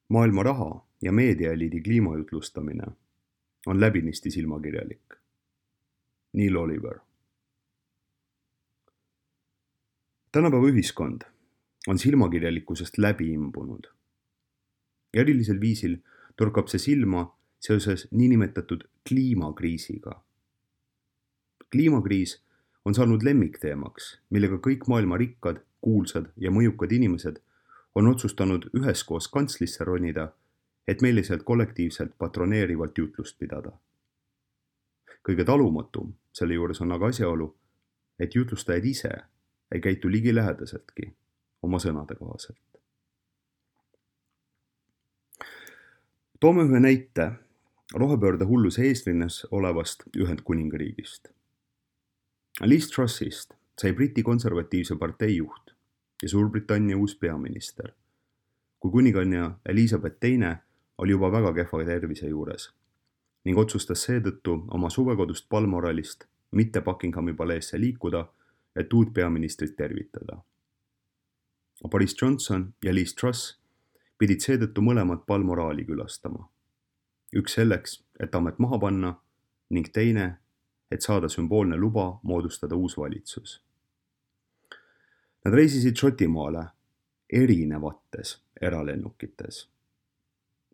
Maailma raha ja meediaeliidi kliimajutlustamine on läbinisti silmakirjalik. Neil Oliver. Tänapäeva ühiskond on silmakirjalikkusest läbi imbunud. Erilisel viisil torkab see silma seoses niinimetatud kliimakriisiga. Kliimakriis on saanud lemmikteemaks, millega kõik maailma rikkad, kuulsad ja mõjukad inimesed on otsustanud üheskoos kantslisse ronida, et meile sealt kollektiivselt patroneerivalt jutlust pidada. Kõige talumatum selle juures on aga asjaolu, et jutlustajad ise ei käitu ligilähedaseltki oma sõnade kohaselt. Toome ühe näite rohepöörde hulluse eesrinnas olevast Ühendkuningriigist. Liz Trussist sai Briti konservatiivse partei juht ja Suurbritannia uus peaminister, kui kuninganna Elizabeth II oli juba väga kehva tervise juures ning otsustas seetõttu oma suvekodust Balmoralist mitte Buckinghami paleesse liikuda, et uut peaministrit tervitada. Boris Johnson ja Liz Truss pidid seetõttu mõlemad Balmorali külastama. Üks selleks, et amet maha panna ning teine, et saada sümboolne luba moodustada uus valitsus. Nad reisisid Šotimaale erinevates eralennukites.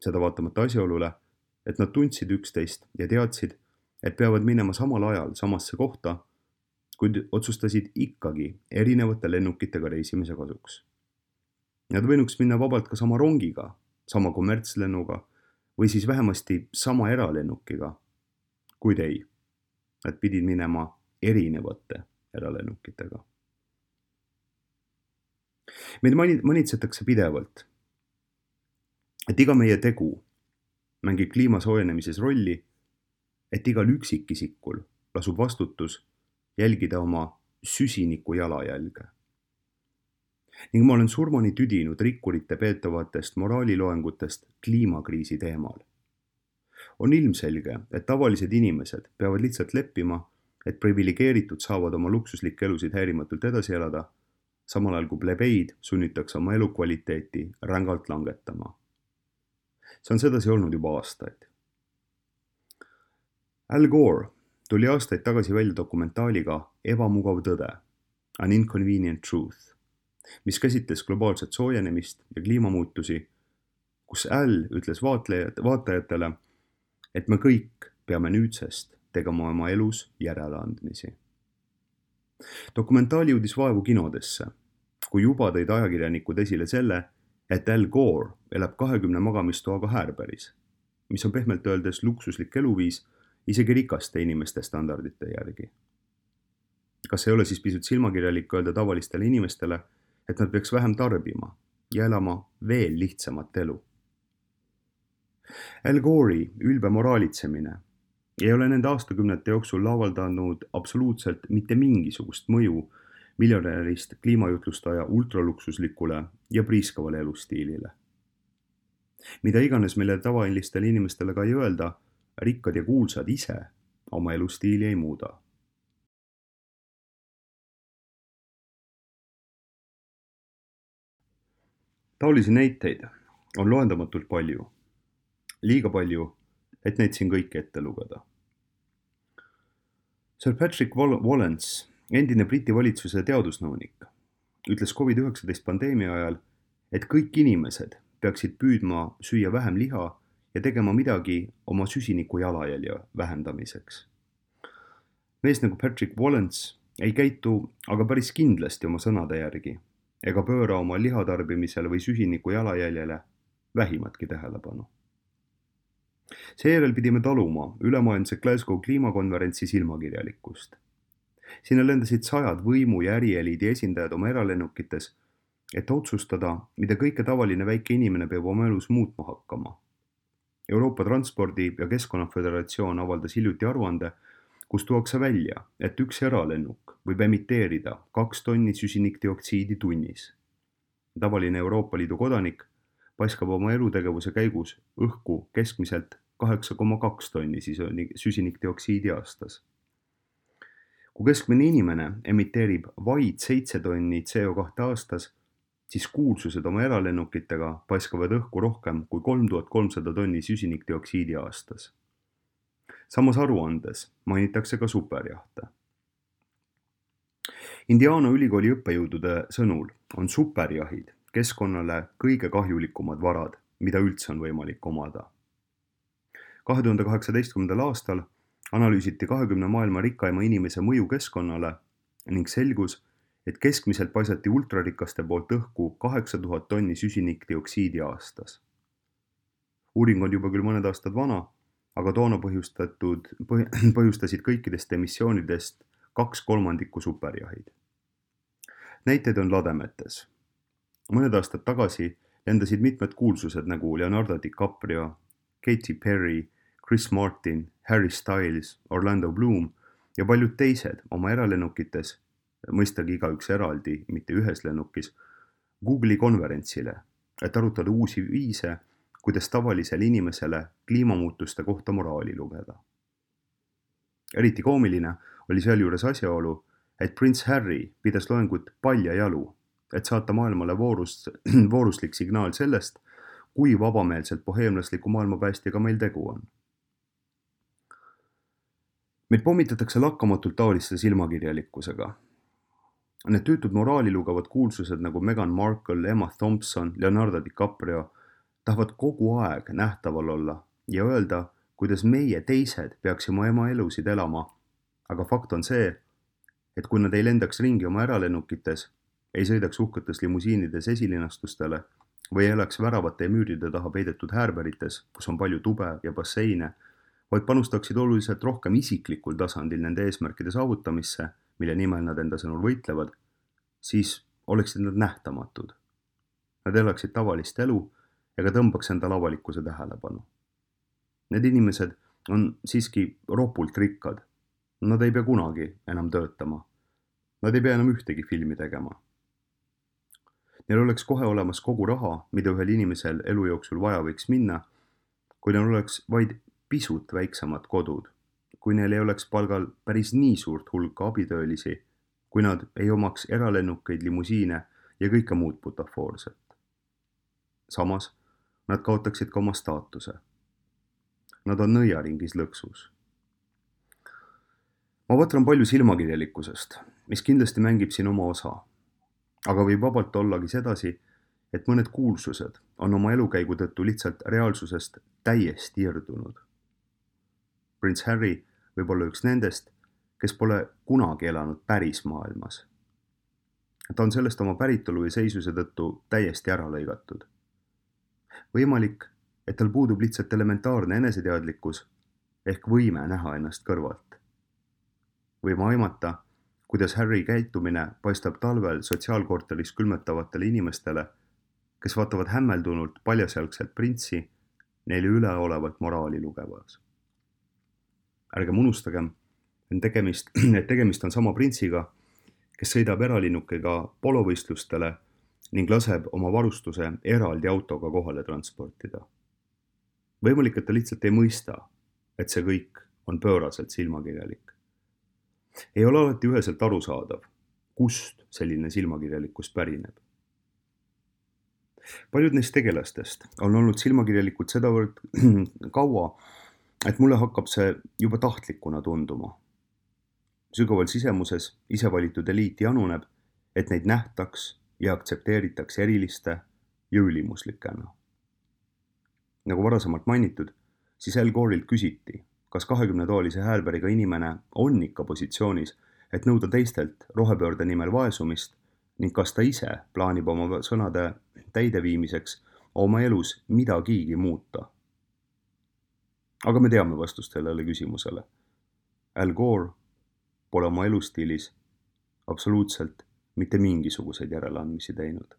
Seda vaatamata asjaolule, et nad tundsid üksteist ja teadsid, et peavad minema samal ajal samasse kohta, kuid otsustasid ikkagi erinevate lennukitega reisimise kasuks. Nad võinuks minna vabalt ka sama rongiga, sama kommertslennuga või siis vähemasti sama eralennukiga, kuid ei. Nad pidid minema erinevate eralennukitega. Meid manitsetakse pidevalt, et iga meie tegu mängib kliima soojenemises rolli, et igal üksikisikul lasub vastutus jälgida oma süsiniku jalajälge. Ning ma olen surmani tüdinud rikkurite peetavatest moraaliloengutest kliimakriisi teemal. On ilmselge, et tavalised inimesed peavad lihtsalt leppima, et privilegeeritud saavad oma luksuslikke elusid häirimatult edasi elada, samal ajal kui plebeid sunnitakse oma elukvaliteeti rängalt langetama. See on sedasi olnud juba aastaid. Al Gore tuli aastaid tagasi välja dokumentaaliga Ebamugav tõde, An Inconvenient Truth, mis käsitles globaalset soojenemist ja kliimamuutusi, kus Al ütles vaatajatele, et me kõik peame nüüdsest tegema oma elus järeleandmisi. Dokumentaali jõudis vaevu kinodesse, kui juba tõid ajakirjanikud esile selle, et Al Gore elab 20 magamistoaga Härberis, mis on pehmelt öeldes luksuslik eluviis isegi rikaste inimeste standardite järgi. Kas ei ole siis pisut silmakirjalik öelda tavalistele inimestele, et nad peaks vähem tarbima ja elama veel lihtsamat elu? Al Gore'i ülbe moraalitsemine ei ole nende aastakümnete jooksul avaldanud absoluutselt mitte mingisugust mõju miljonärist kliimajutlustaja ultraluksuslikule ja priiskavale elustiilile. Mida iganes meile tavalistele inimestele ka ei öelda, rikkad ja kuulsad ise oma elustiili ei muuda. Taolisi näiteid on loendamatult palju. Liiga palju, et neid siin kõiki ette lugeda. Sir Patrick Wallens, endine Briti valitsuse teadusnõunik, ütles COVID-19 pandeemia ajal, et kõik inimesed peaksid püüdma süüa vähem liha ja tegema midagi oma süsiniku jalajälje vähendamiseks. Mees nagu Patrick Wallens ei käitu aga päris kindlasti oma sõnade järgi ega pööra oma lihatarbimisele või süsiniku jalajäljele vähimatki tähelepanu. Seejärel pidime taluma ülemaailmse Glasgow kliimakonverentsi silmakirjalikkust. Sinna lendasid 100 võimu ja ärieliidi esindajad oma eralennukites, et otsustada, mida kõike tavaline väike inimene peab oma elus muutma hakkama. Euroopa Transpordi- ja Keskkonnaföderatsioon avaldas hiljuti aruande, kus tuuakse välja, et üks eralennuk võib emiteerida 2 tonni süsinikdioksiidi tunnis. Tavaline Euroopa Liidu kodanik paiskab oma elutegevuse käigus õhku keskmiselt 8,2 tonni süsinikdioksiidi aastas. Kui keskmine inimene emiteerib vaid 7 tonni CO2 aastas, siis kuulsused oma eralennukitega paiskavad õhku rohkem kui 3300 tonni süsinikdioksiidi aastas. Samas aruandes mainitakse ka superjahte. Indiana ülikooli õppejõudude sõnul on superjahid keskkonnale kõige kahjulikumad varad, mida üldse on võimalik omada. 2018. aastal analüüsiti 20 maailma rikkaima inimese mõju keskkonnale ning selgus, et keskmiselt paisati ultrarikaste poolt õhku 8000 tonni süsinikdioksiidi aastas. Uuring on juba küll mõned aastad vana, aga toona põhjustasid kõikidest emissioonidest 2/3 superjahid. Näiteid on lademetes. Mõned aastad tagasi lendasid mitmed kuulsused nagu Leonardo DiCaprio, Katy Perry, Chris Martin, Harry Styles, Orlando Bloom ja paljud teised oma eralennukites, mõistagi igaüks eraldi, mitte ühes lennukis, Google'i konverentsile, et arutada uusi viise, kuidas tavalisele inimesele kliimamuutuste kohta moraali lugeda. Eriti koomiline oli sealjuures asjaolu, et prints Harry pidas loengut paljajalu, et saata maailmale vooruslik signaal sellest, kui vabameelselt boheemlasliku maailmapäästjaga meil tegu on. Meid pommitatakse lakkamatult taoliste silmakirjalikkusega. Need tüütud moraali lugevad kuulsused nagu Meghan Markle, Emma Thompson, Leonardo DiCaprio tahavad kogu aeg nähtaval olla ja öelda, kuidas meie teised peaksime oma elusid elama, aga fakt on see, et kui nad ei lendaks ringi oma eralennukites, ei sõidaks uhketes limusiinides esilinastustele või ei elaks väravate ja müüride taha peidetud häärberites, kus on palju tube ja basseine, vaid panustaksid oluliselt rohkem isiklikul tasandil nende eesmärkide saavutamisse, mille nimel nad enda sõnul võitlevad, siis oleksid nad nähtamatud. Nad elaksid tavalist elu ega tõmbaks endale avalikkuse tähelepanu. Need inimesed on siiski ropult rikkad. Nad ei pea kunagi enam töötama. Nad ei pea enam ühtegi filmi tegema. Neil oleks kohe olemas kogu raha, mida ühel inimesel elu jooksul vaja võiks minna, kui neil oleks vaid pisut väiksemad kodud, kui neil ei oleks palgal päris nii suurt hulka abitöölisi, kui nad ei omaks eralennukeid, limusiine ja kõike muud butafoorset. Samas, nad kaotaksid ka oma staatuse. Nad on nõiaringis lõksus. Ma võtran palju silmakirjalikkusest, mis kindlasti mängib siin oma osa, aga võib vabalt ollagi sedasi, et mõned kuulsused on oma elukäigu tõttu lihtsalt reaalsusest täiesti irdunud. Prints Harry võib olla üks nendest, kes pole kunagi elanud päris maailmas. Ta on sellest oma päritolu ja seisuse tõttu täiesti ära lõigatud. Võimalik, et tal puudub lihtsalt elementaarne eneseteadlikkus ehk võime näha ennast kõrvalt. Võime aimata, kuidas Harry käitumine paistab talvel sotsiaalkorteris külmetavatele inimestele, kes vaatavad hämmeldunult paljasjalgselt printsi neile üleolevalt moraali lugevas. Ärgem unustagem, et tegemist on sama printsiga, kes sõidab eralinnukiga polovõistlustele ning laseb oma varustuse eraldi autoga kohale transportida. Võimalik, et ta lihtsalt ei mõista, et see kõik on pööraselt silmakirjalik. Ei ole alati üheselt arusaadav, kust selline silmakirjalikkus pärineb. Paljud neist tegelastest on olnud silmakirjalikud sedavõrd kaua, et mulle hakkab see juba tahtlikuna tunduma. Sügaval sisemuses isevalitud eliit januneb, et neid nähtaks ja aktsepteeritaks eriliste ja ülimuslikena. Nagu varasemalt mainitud, siis Al Gore'ilt küsiti, kas 20-toolise häälberiga inimene on ikka positsioonis, et nõuda teistelt rohepöörde nimel vaesumist ning kas ta ise plaanib oma sõnade täideviimiseks oma elus midagigi muuta. Aga me teame vastust sellele küsimusele. Al Gore pole oma elustiilis absoluutselt mitte mingisuguseid järeleandmisi teinud.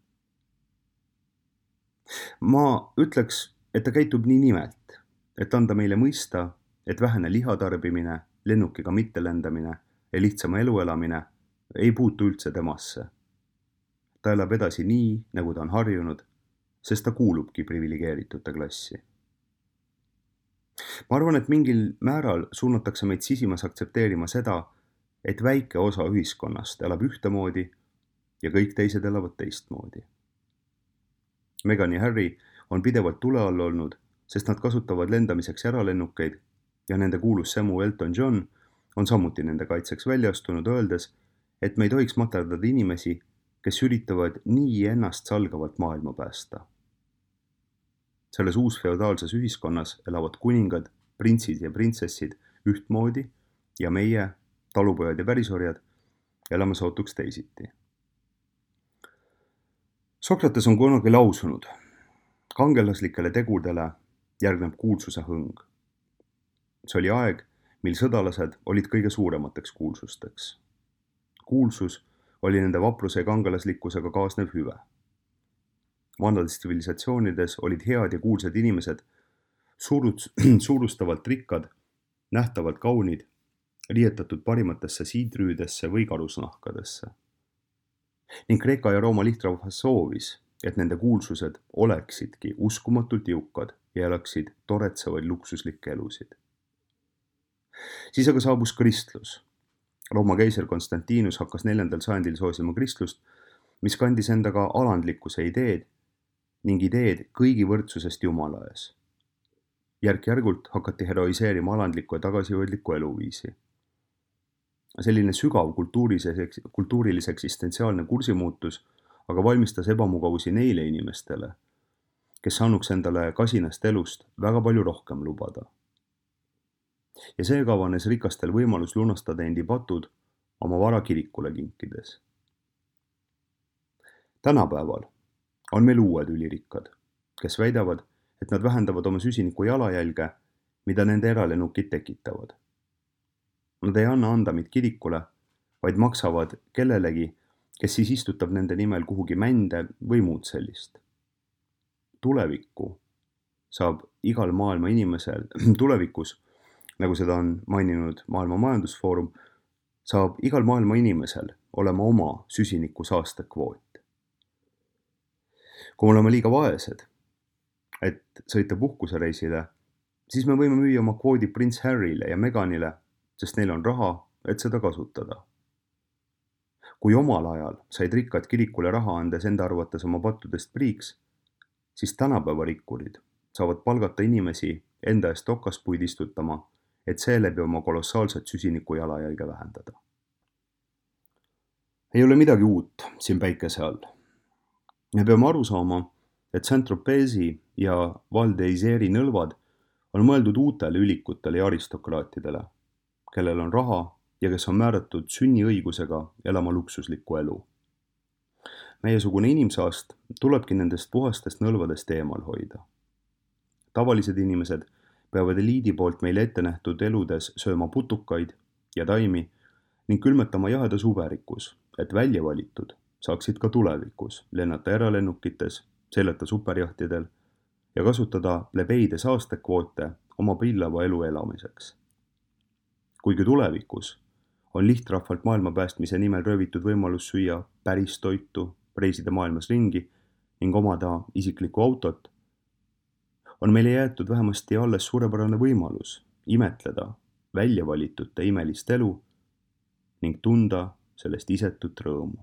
Ma ütleks, et ta käitub nii nimelt, et anda meile mõista, et vähene lihatarbimine, lennukiga mittelendamine ja lihtsama elu elamine ei puutu üldse temasse. Ta elab edasi nii, nagu ta on harjunud, sest ta kuulubki priviligeeritute klassi. Ma arvan, et mingil määral suunatakse meid sisimas aktsepteerima seda, et väike osa ühiskonnast elab ühtemoodi ja kõik teised elavad teistmoodi. Meghan ja Harry on pidevalt tule all olnud, sest nad kasutavad lendamiseks eralennukeid ja nende kuulus semu Elton John on samuti nende kaitseks välja astunud, öeldes, et me ei tohiks materdada inimesi, kes üritavad nii ennast salgavalt maailma päästa. Selles uusfeodaalses ühiskonnas elavad kuningad, printsid ja printsessid ühtmoodi ja meie, talupojad ja pärisorjad, elame sootuks teisiti. Sokrates on kunagi lausunud, kangelaslikele tegudele järgneb kuulsuse hõng. See oli aeg, mil sõdalased olid kõige suuremateks kuulsusteks. Kuulsus oli nende vapruse ja kangelaslikkusega kaasnev hüve. Vanades tsivilisatsioonides olid head ja kuulsad inimesed suurustavalt rikkad, nähtavalt kaunid, riietatud parimatesse siidrüüdesse või karusnahkadesse. Ning Kreeka ja Rooma lihtrahvas soovis, et nende kuulsused oleksidki uskumatult jõukad ja elaksid toretsevaid luksuslikke elusid. Siis aga saabus kristlus. Rooma keiser Konstantinus hakkas 4. sajandil soosima kristlust, mis kandis endaga alandlikkuse ideed ning ideed kõigi võrdsusest Jumala ees. Järk-järgult hakati heroiseerima alandlikku ja tagasihoidlikku eluviisi. Selline sügav kultuurilis eksistentsiaalne kursimuutus aga valmistas ebamugavusi neile inimestele, kes saanuks endale kasinast elust väga palju rohkem lubada. Ja seega avanes rikastel võimalus lunastada endi patud oma vara kirikule kinkides. Tänapäeval on meil uued ülirikkad, kes väidavad, et nad vähendavad oma süsiniku jalajälge, mida nende eralennukid tekitavad. Nad ei anna andamit kirikule, vaid maksavad kellelegi, kes siis istutab nende nimel kuhugi mände või muud sellist. Tulevikus, nagu seda on maininud Maailma Majandusfoorum, saab igal maailma inimesel olema oma süsiniku saastekvoot. Kui me oleme liiga vaesed, et sõita puhkusereisile, siis me võime müüa oma kvoodi prints Harryle ja Meghanile, sest neil on raha, et seda kasutada. Kui omal ajal said rikkad kirikule raha andes enda arvates oma pattudest priiks, siis tänapäeva rikkurid saavad palgata inimesi enda eest okaspuid istutama, et seeläbi oma kolossaalset süsiniku jalajälge vähendada. Ei ole midagi uut siin päikese all. Me peame aru saama, et Saint-Tropezi ja Val d'Isère'i nõlvad on mõeldud uutele ülikutele ja aristokraatidele, kellel on raha ja kes on määratud sünniõigusega elama luksuslikku elu. Meiesugune inimsaast tulebki nendest puhastest nõlvadest eemal hoida. Tavalised inimesed peavad eliidi poolt meile ette nähtud eludes sööma putukaid ja taimi ning külmetama jahedas uberikus, et välja valitud saaksid ka tulevikus lennata eralennukites, seilata superjahtidel ja kasutada plebeide saastekvoote oma pillava elu elamiseks. Kuigi tulevikus on lihtrahvalt maailma päästmise nimel röövitud võimalus süüa päris toitu, reisida maailmas ringi ning omada isiklikku autot, on meile jäetud vähemasti alles suurepärane võimalus imetleda väljavalitute imelist elu ning tunda sellest isetut rõõmu.